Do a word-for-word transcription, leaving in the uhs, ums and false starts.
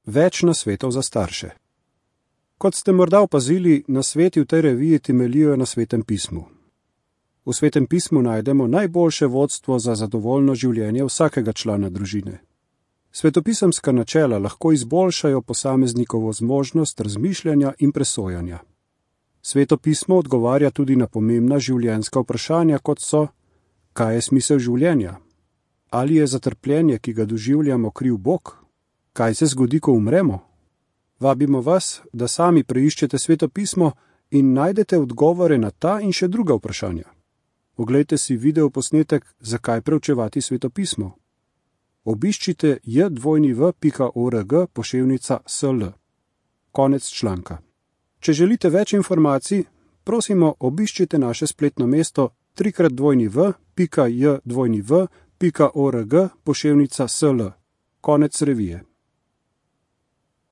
Več nasvetov za starše. Kot ste morda opazili, nasveti v tej reviji temeljijo na Svetem pismu. V Svetem pismu najdemo najboljše vodstvo za zadovoljno življenje vsakega člana družine. Svetopisemska načela lahko izboljšajo posameznikovo zmožnost razmišljanja in presojanja. Sveto pismo odgovarja tudi na pomembna življenjska vprašanja, kot so: kaj je smisel življenja? Ali je za trpljenje, ki ga doživljamo, kriv Bog? Kaj se zgodi, ko umremo? Vabimo vas, da sami preiščete Sveto pismo in najdete odgovore na ta in še druga vprašanja. Oglejte si video posnetek Zakaj preučevati Sveto pismo. Obiščite j dvojni v pika org poševnica sl. Konec članka. Če želite več informacij, prosimo obiščite naše spletno mesto trikrat dvojni v pika j dvojni v pika org poševnica sl. Konec revije.